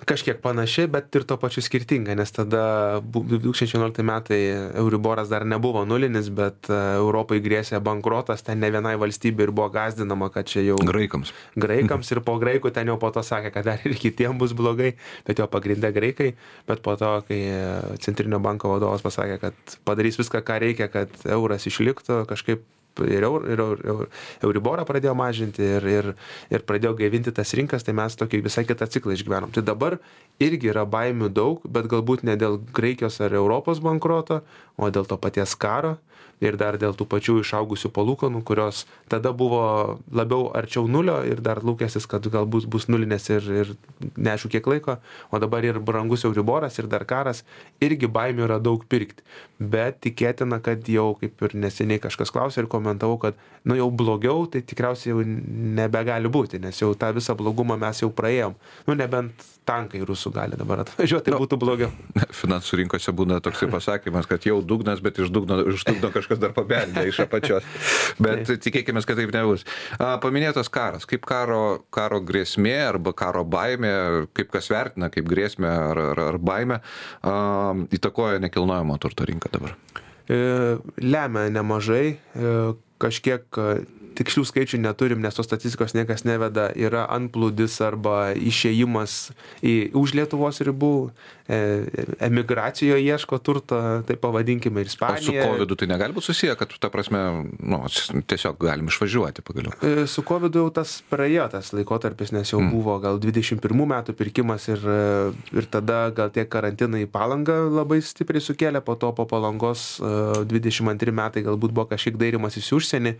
kažkiek panaši, bet ir to pačiu skirtinga, nes tada 2011 metai Euriboras dar nebuvo nulinis, bet Europai grėsė bankrotas, ten ne vienai valstybė ir buvo gąsdinama, kad čia jau Graikams ir po graikų ten jau po to sakė, kad dar ir kitiem bus blogai, bet jo pagrindė graikai, bet po to, kai Centrinio banko vadovas pasakė, kad padarys viską, ką reikia, kad euras išliktų, kažkaip ir Euriborą pradėjo mažinti ir pradėjo gaivinti tas rinkas, tai mes tokį visai kitą ciklą išgyvenom. Tai dabar irgi yra baimių daug, bet galbūt ne dėl Graikijos ar Europos bankroto, o dėl to paties karo ir dar dėl tų pačių išaugusių palūkanų, kurios tada buvo labiau arčiau nulio ir dar lūkestis, kad galbūt bus nulinės ir neaišku kiek laiko, o dabar ir brangus Euriboras ir dar karas, irgi baimių yra daug pirkti. Bet tikėtina, kad jau, kaip ir neseniai kažkas klausė ir komentavau, kad jau blogiau, tai tikriausiai jau nebegali būti, nes jau tą visą blogumą mes jau praėjom. Nebent tankai rusų gali dabar atvažiuoti, tai būtų blogiau. Finansų rinkose būna toksai pasakymas, kad jau dugnas, bet iš dugno kažkas dar pabeldė iš apačios. Bet tikėkime, kad taip nebus. Paminėtas karas. Kaip karo grėsmė arba karo baimė, kaip kas vertina, kaip grėsmė ar baimė, įtakoja nekilnojamo turto rinką dabar? Lemia nemažai, kažkiek tikslių skaičių neturim, nes tos statistikos niekas neveda, yra antplūdis arba išėjimas už Lietuvos ribų, emigracijoje ieško turto, tai pavadinkime ir Ispanija. O su COVID tai negali būti susiję, kad ta prasme, tiesiog galim išvažiuoti pagaliau? Su COVID jau tas praėjo tas laikotarpis, nes jau buvo gal 21 metų pirkimas ir tada gal tie karantinai Palangą labai stipriai sukėlė, po to po Palangos 22 metai galbūt buvo kažkiek dairimas į užsienį,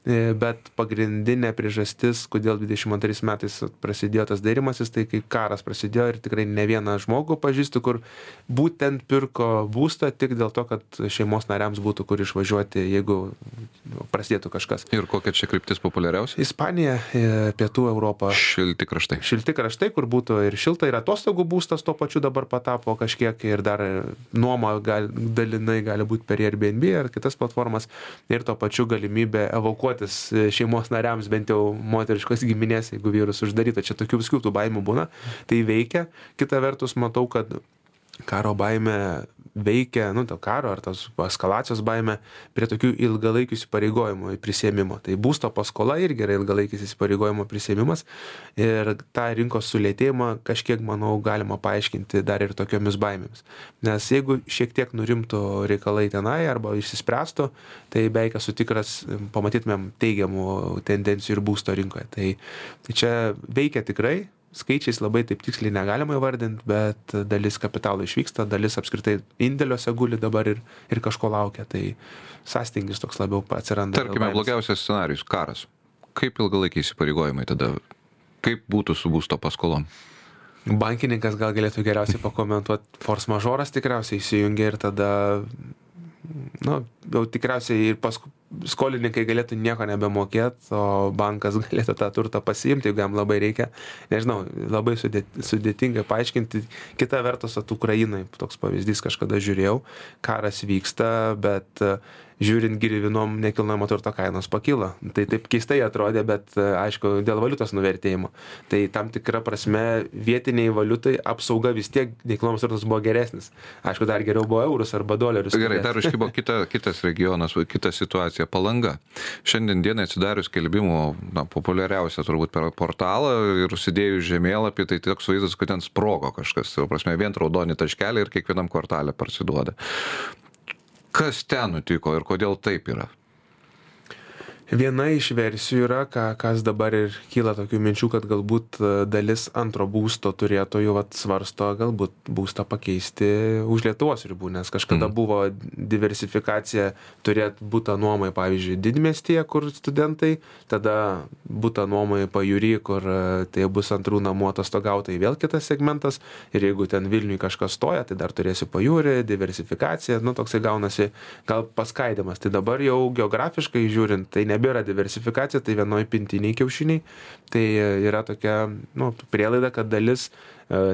bet pagrindinė priežastis, kodėl 22 metais prasidėjo tas dairimasis, tai kai karas prasidėjo ir tikrai ne vieną žmogų pažįstu, kur būtent pirko būstą tik dėl to, kad šeimos nariams būtų kur išvažiuoti, jeigu prasidėtų kažkas. Ir kokia čia kryptis populiariausia? Ispanija, Pietų Europa. Šilti kraštai. Šilti kraštai, kur būtų ir šilta, ir atostogų būstas tuo pačiu dabar patapo kažkiek ir dar nuoma dalinai gali būti per Airbnb ar kitas platformas ir tuo pačiu galimybė evakuoti šeimos nariams, bent jau moteriškos giminės, jeigu vyrus uždaryta. Čia tokių viskių tų baimių būna. Tai veikia. Kita vertus, matau, kad karo baimė veikia, to karo ar tos eskalacijos baimė prie tokių ilgalaikių įsipareigojimų prisėmimo. Tai būsto paskola irgi yra ilgalaikis įsipareigojimo prisėmimas ir tą rinkos sulėtėjimą kažkiek, manau, galima paaiškinti dar ir tokiomis baimėmis. Nes jeigu šiek tiek nurimtų reikalai tenai arba išsispręstų, tai beveik esu tikras, pamatytumėm teigiamų tendencijų ir būsto rinkoje. Tai čia veikia tikrai. Skaičiais labai taip tiksliai negalima įvardinti, bet dalis kapitalo išvyksta, dalis apskritai indėliuose guli dabar ir kažko laukia. Tai sąstingis toks labiau atsiranda. Tarkime, blogiausias scenarijus - karas. Kaip ilgalaikiai įsipareigojimai tada? Kaip būtų su būsto paskolom? Bankininkas gal galėtų geriausiai pakomentuoti. Force majoras tikriausiai įsijungia ir tada, jau tikriausiai ir skolininkai galėtų nieko nebemokėti, o bankas galėtų tą turtą pasiimti, jeigu jam labai reikia. Nežinau, labai sudėtingai paaiškinti. Kita vertus, Ukrainai toks pavyzdys kažkada žiūrėjau, karas vyksta, bet žiūrint gyvybinom nekilnojamo turto kainos pakyla. Tai taip keistai atrodė, bet aišku, dėl valiutos nuvertėjimo. Tai tam tikra prasme vietiniai valiutai apsauga vis tiek nekilnojamas turtas buvo geresnis. Aišku, dar geriau buvo eurus arba dolerius. Gerai, dar iškybo kitas regionas, kita situacija - Palanga. Šiandien dienai atsidarius skelbimų, populiariausia turbūt per portalą ir užsidėjus žemėlapį, tai toks vaizdas, kad ten sprogo kažkas. Tai prasme, vien raudoni taškeliai ir kiekvienam kvartalė parsiduoda. Kas ten nutiko ir kodėl taip yra? Viena iš versijų yra, kas dabar ir kyla tokių minčių, kad galbūt dalis antro būsto turėtojų svarsto galbūt būstą pakeisti už Lietuvos ribų, nes kažkada buvo diversifikacija turėti būtą nuomai, pavyzdžiui, didmiestyje, kur studentai, tada būtą nuomai pajūry, kur tai bus antrų namų atostogautojai, vėl kitas segmentas, ir jeigu ten Vilniui kažkas stoja, tai dar turėsi pajūrį, diversifikacija, toksai gaunasi gal paskaidimas. Tai dabar jau geografiškai žiūrint, tai nebėra diversifikacija, tai vienoj pintiniai kiaušiniai, tai yra tokia prielaida, kad dalis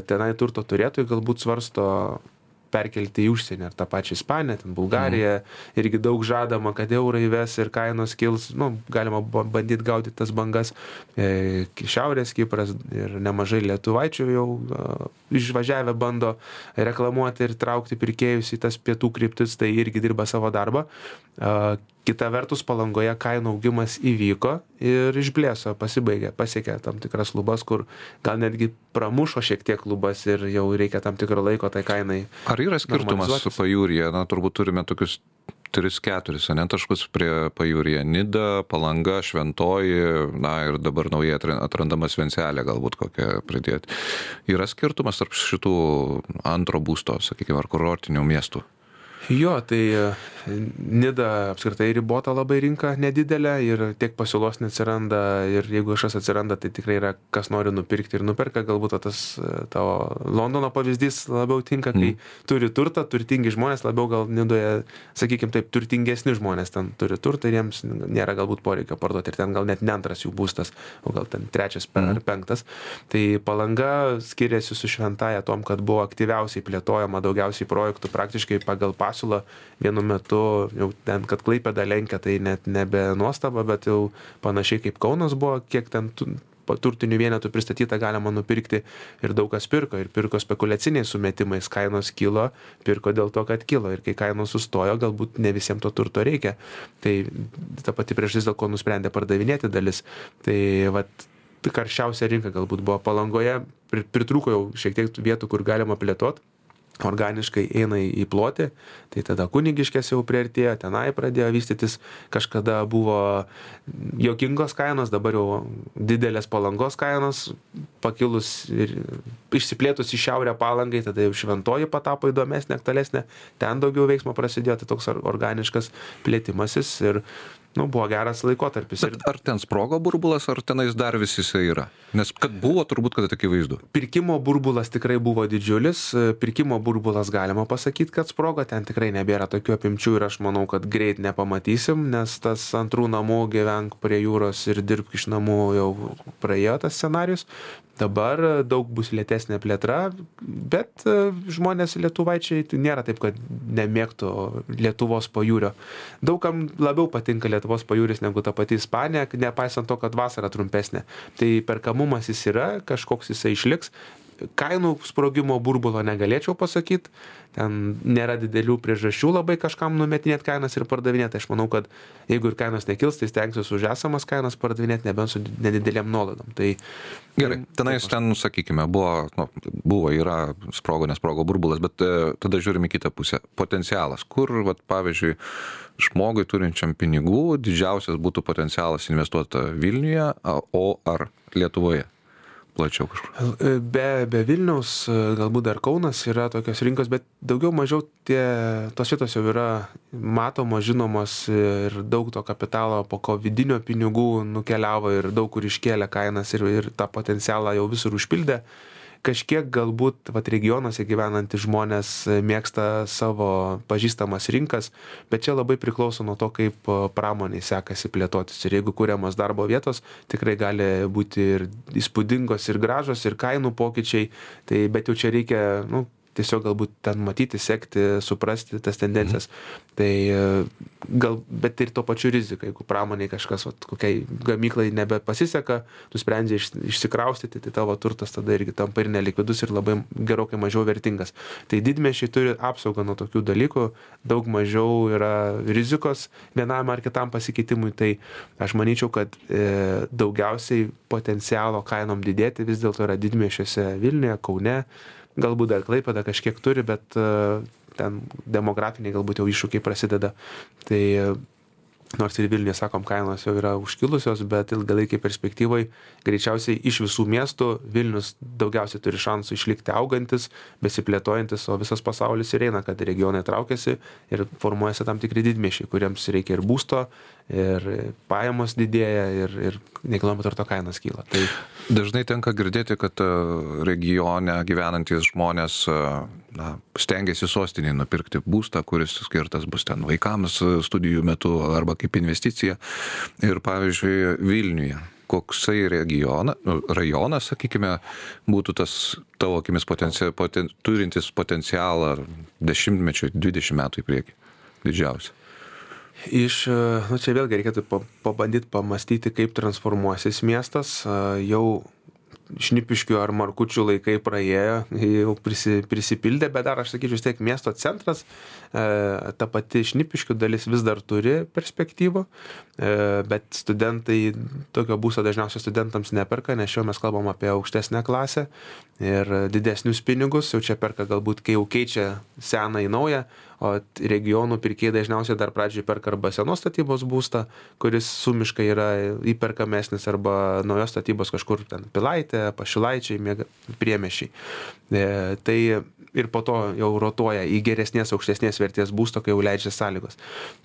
tenai turto turėtojų galbūt svarsto perkelti į užsienį, ar tą pačią Ispaniją, ten Bulgariją, irgi daug žadama, kad eurai įves ir kainos kils, galima bandyti gaudyti tas bangas, Šiaurės Kipras ir nemažai lietuvaičių jau išvažiavę bando reklamuoti ir traukti pirkėjus į tas pietų kryptis, tai irgi dirba savo darbą. Kita vertus, Palangoje kainų augimas įvyko ir išblėso, pasibaigė, pasiekė tam tikras lubas, kur gal netgi pramušo šiek tiek lubas ir jau reikia tam tikro laiko tai kainai. Ar yra skirtumas su pajūryje? Turbūt turime tokius 3-4 taškus prie pajūryje. Nida, Palanga, Šventoji, ir dabar naujai atrandamas Vencelė galbūt kokią pridėti. Yra skirtumas tarp šitų antro būsto, sakykime, ar kurortinių miestų? Jo, tai Nida apskritai ribota labai rinka nedidelė ir tiek pasiūlos neatsiranda ir jeigu kažkas atsiranda, tai tikrai yra kas nori nupirkti ir nuperka. Galbūt tas tavo Londono pavyzdys labiau tinka, kai turi turtą, turtingi žmonės, labiau gal Nidoje, sakykime taip, turtingesni žmonės ten turi turtą ir jiems nėra galbūt poreikio parduoti ir ten gal net ne antras jų būstas, o gal ten trečias ar penktas. Tai Palanga skiriasi su Šventaja tom, kad buvo aktyviausiai plėtojama, daugiausiai projektų praktiškai pagal pasiūlą vienu metu, jau ten, kad Klaipėda lenkia, tai net nebe nuostaba, bet jau panašiai kaip Kaunas buvo, kiek ten turtinių vienetų pristatyta galima nupirkti ir daug kas pirko ir pirko spekuliaciniais sumetimais, kainos kilo, pirko dėl to, kad kilo ir kai kainos sustojo, galbūt ne visiems to turto reikia. Tai ta pati priežastis, dėl ko nusprendė pardavinėti dalis. Tai karščiausia rinka galbūt buvo Palangoje, pritrūko jau šiek tiek vietų, kur galima plėtoti. Organiškai eina į plotį, tai tada Kunigiškės jau priartėjo, tenai pradėjo vystytis, kažkada buvo juokingos kainos, dabar jau didelės Palangos kainos, pakilus ir išsiplėtus į šiaurę Palangai, tada jau Šventoji patapo įdomesnė, aktualesnė, ten daugiau veiksmo prasidėjo, tai toks organiškas plėtimasis ir buvo geras laikotarpis. Bet ar ten sprogo burbulas, ar tenais dar vis jisai yra? Nes kad buvo, turbūt, kad akivaizdu. Pirkimo burbulas tikrai buvo didžiulis, pirkimo burbulas galima pasakyti, kad sprogo, ten tikrai nebėra tokių apimčių ir aš manau, kad greit nepamatysim, nes tas antrų namų gyvenk prie jūros ir dirbk iš namų jau praėjo tas scenarius. Dabar daug bus lėtesnė plėtra, bet žmonės lietuvaičiai nėra taip, kad nemėgtų Lietuvos pajūrio. Daugam labiau patinka Lietuvos pajūris negu ta pati Ispanija, nepaisant to, kad vasara trumpesnė. Tai perkamumas jis yra, kažkoks jisai išliks. Kainų sprogimo burbulo negalėčiau pasakyti, ten nėra didelių priežasčių labai kažkam numetinėti kainas ir pardavinėti. Aš manau, kad jeigu ir kainos nekils, tai stengsiuosi už esamas kainas pardavinėti, nebent su nedidelėm nuolaidom. Tai gerai, tenais ten, sakykime, yra sprogo, nesprogo burbulas, bet tada žiūrime į kitą pusę. Potencialas, kur, pavyzdžiui, žmogui turinčiam pinigų didžiausias būtų potencialas investuoti Vilniuje, o ar Lietuvoje? Plačiau kažkur. Be Vilniaus, galbūt dar Kaunas yra tokios rinkos, bet daugiau mažiau tos vietos jau yra matomos, žinomos ir daug to kapitalo po kovidinio pinigų nukeliavo ir daug kur iškėlė kainas ir tą potencialą jau visur užpildė. Kažkiek galbūt regionuose gyvenantys žmonės mėgsta savo pažįstamas rinkas, bet čia labai priklauso nuo to, kaip pramoniai sekasi plėtotis. Ir jeigu kuriamas darbo vietos, tikrai gali būti ir įspūdingos, ir gražos, ir kainų pokyčiai, bet jau čia reikia tiesiog galbūt ten matyti, sekti, suprasti tas tendencijas. Bet ir tuo pačiu rizika, jeigu pramoniai kažkas, kokiai gamyklai nebepasiseka, nusprendžia išsikraustyti, tai tavo turtas tada irgi tampa ir nelikvidus ir labai gerokai mažiau vertingas. Tai didmiesčiai turi apsaugą nuo tokių dalykų, daug mažiau yra rizikos vienam ar kitam pasikeitimui, tai aš manyčiau, kad daugiausiai potencialo kainom didėti vis dėlto yra didmiesčiuose Vilniuje, Kaune, galbūt dar Klaipėda kažkiek turi, bet ten demografiniai galbūt jau iššūkiai prasideda. Tai nors ir Vilniuje, sakom, kainos jau yra užkilusios, bet ilgalaikiai perspektyvai greičiausiai iš visų miestų Vilnius daugiausiai turi šansų išlikti augantis, besiplėtojantis, o visas pasaulis ir eina, kad regionai traukiasi ir formuojasi tam tikri didmiesčiai, kuriems reikia ir būsto, ir pajamos didėja, ir nekilnojamo turto kainos kyla. Tai dažnai tenka girdėti, kad regione gyvenantys žmonės stengiasi sostinėje nupirkti būstą, kuris skirtas bus ten vaikams studijų metu arba kaip investicija. Ir pavyzdžiui, Vilniuje, koksai rajonas, sakykime, būtų tas tavo akimis turintis potencialą 10-mečio, 20 metų į priekį, didžiausia? Čia vėlgi reikėtų pabandyti pamastyti, kaip transformuosis miestas. Jau Šnipiškių ar Markučių laikai praėjo, jau prisipildė, bet dar aš sakyčiau, vis tiek miesto centras, ta pati Šnipiškių dalis vis dar turi perspektyvų, bet studentai tokio būsto dažniausiai studentams neperka, nes šiuo mes kalbam apie aukštesnę klasę ir didesnius pinigus, jau čia perka galbūt, kai jau keičia seną į naują, o regionų pirkėjai dažniausiai dar pradžioj perka arba senos statybos būstą, kuris sumiškai yra įperkamesnis, arba naujos statybos kažkur ten Pilaitė, Pašilaičiai, Priemiesčiai. Tai ir po to jau rotuoja į geresnės, aukštesnės vertės būsto, kai jau leidžia sąlygos.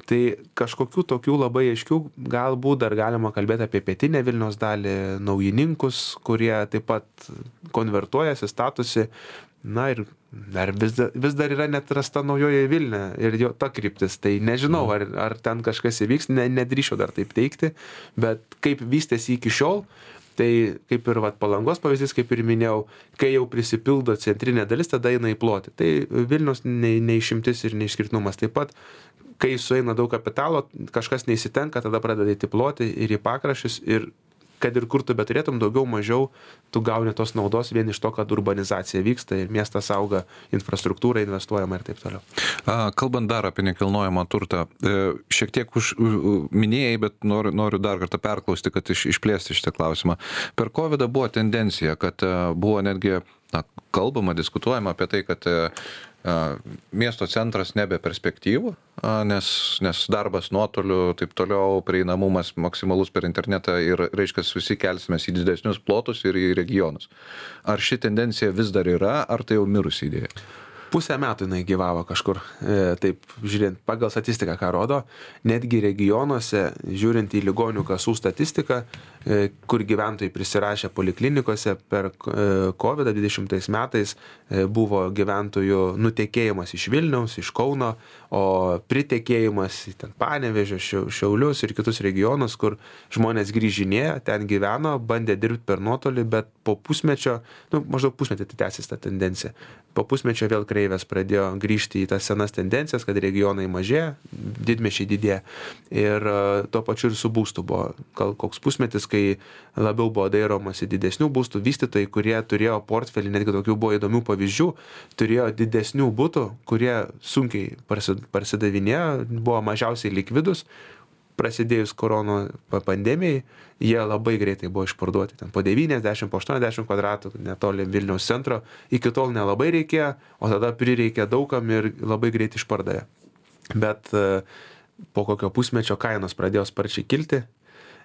Tai kažkokių tokių labai aiškių galbūt dar galima kalbėti apie pietinę Vilniaus dalį, naujininkus, kurie taip pat konvertuojasi, statusi. Na ir vis dar yra net rasta naujoje Vilnia ir jo ta kryptis. Tai nežinau, ar ten kažkas įvyks, nedrįšiu dar taip teikti, bet kaip vystėsi iki šiol, tai kaip ir Palangos pavyzdys, kaip ir minėjau, kai jau prisipildo centrinė dalis, tada eina į plotį. Tai Vilnius neišimtis ir neišskirtinumas. Taip pat, kai sueina daug kapitalo, kažkas neįsitenka, tada pradeda į plotį ir į pakraščius ir kad ir kur tu beturėtum, daugiau mažiau tu gauni tos naudos vien iš to, kad urbanizacija vyksta ir miestas auga, infrastruktūra investuojama ir taip toliau. Kalbant dar apie nekilnojamą turtą, šiek tiek minėjai, bet noriu dar kartą perklausti, kad išplėsti šitą klausimą. Per COVID buvo tendencija, kad buvo netgi kalbama, diskutuojama apie tai, kad miesto centras nebe perspektyvų, nes darbas nuotoliu, taip toliau, prieinamumas maksimalus per internetą ir, reiškia, visi kelsimės į didesnius plotus ir į regionus. Ar ši tendencija vis dar yra, ar tai jau mirusi idėja? Pusę metų jinai gyvavo kažkur, taip žiūrint, pagal statistiką, ką rodo, netgi regionuose, žiūrint į ligonių kasų statistiką, kur gyventojai prisirašė poliklinikose per COVID-20 metais buvo gyventojų nutekėjimas iš Vilniaus, iš Kauno, o pritekėjimas į ten Panevėžio, Šiaulius ir kitus regionus, kur žmonės grįžinėjo, ten gyveno, bandė dirbti per nuotolį, bet po pusmečio, maždaug pusmetį tai tęsis ta tendencija. Po pusmečio vėl kreivės pradėjo grįžti į tas senas tendencijas, kad regionai mažėja, didmiesčiai didėja. Ir tuo pačiu ir su būstu buvo koks pusmetis, kai labiau buvo dairomasi didesnių būstų, vystytojai, kurie turėjo portfelį, netgi tokių buvo įdomių pavyzdžių, turėjo didesnių būtų, kurie sunkiai parsidavinėjo, buvo mažiausiai likvidus. Prasidėjus korono pandemijai, jie labai greitai buvo išparduoti. Ten po 90, po 80 kvadratų, netoli Vilniaus centro, iki tol nelabai reikėjo, o tada prireikė daugam ir labai greitai išpardavė. Bet po kokio pusmečio kainos pradėjo sparčiai kilti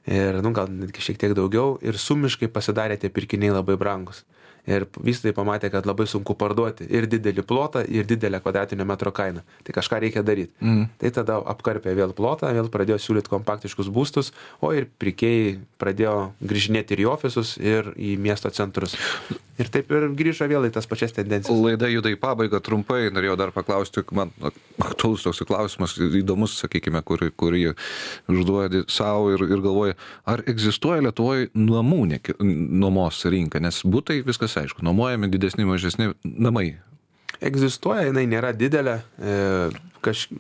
ir, gal netgi šiek tiek daugiau, ir sumiškai pasidarė tie pirkiniai labai brangus. Ir vystytojai pamatė, kad labai sunku parduoti ir didelį plotą, ir didelę kvadratinio metro kainą. Tai kažką reikia daryti. Tai tada apkarpė vėl plotą, vėl pradėjo siūlyti kompaktiškus būstus, o ir pirkėjai pradėjo grįžinėti ir į ofisus, ir į miesto centrus. Ir taip ir grįžo vėl į tas pačias tendencijas. Laida juda į pabaigą trumpai, norėjau dar paklausti, man aktualus toks klausimas, įdomus, sakykime, kurį užduodi savo ir galvoja, ar egzistuoja Lietuvoje namų nuomos rinka, nes butai viskas aišku, nuomojami didesni, mažesni namai. Egzistuoja, jinai nėra didelė,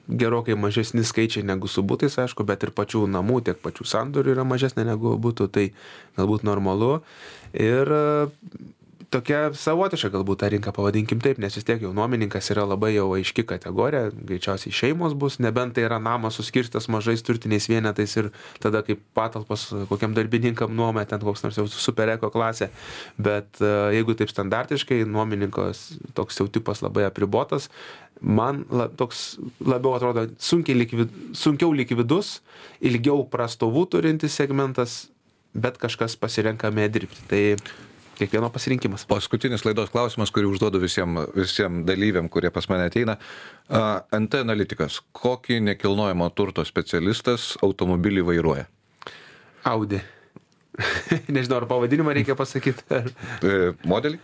gerokai mažesni skaičiai negu su butais, aišku, bet ir pačių namų, tiek pačių sandorių yra mažesnė negu būtų, tai galbūt normalu. Ir tokia savotiška galbūt tą rinką pavadinkim taip, nes vis tiek jau nuomininkas yra labai jau aiški kategorija, greičiausiai šeimos bus, nebent tai yra namas suskirstas mažais turtiniais vienetais ir tada kaip patalpos kokiam darbininkam nuoma, ten koks nors jau supereko klasė, bet jeigu taip standartiškai, nuomininkas toks jau tipas labai apribotas, man toks labiau atrodo sunkiau likvidus, ilgiau prastovų turintis segmentas, bet kažkas pasirenkame dirbti. Tai kiekvieno pasirinkimas. Paskutinis laidos klausimas, kurį užduodu visiems dalyviam, kurie pas mane ateina. NT analitikas, kokį nekilnojamo turto specialistas automobilį vairuoja? Audi. Nežinau, ar pavadinimą reikia pasakyti. Modelį?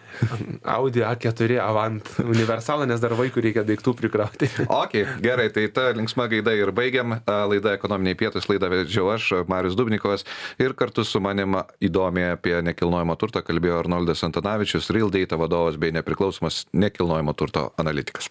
Audi A4 Avant universalą, nes dar vaikų reikia daiktų prikrauti. Ok, gerai, tai ta linksma gaida ir baigiam. Laida Ekonominiai pietūs, laidą vedžiau aš, Marius Dubnikovas, ir kartu su manim įdomiai apie nekilnojamo turtą kalbėjo Arnoldas Antanavičius, Real Data vadovas bei nepriklausomas nekilnojamo turto analitikas.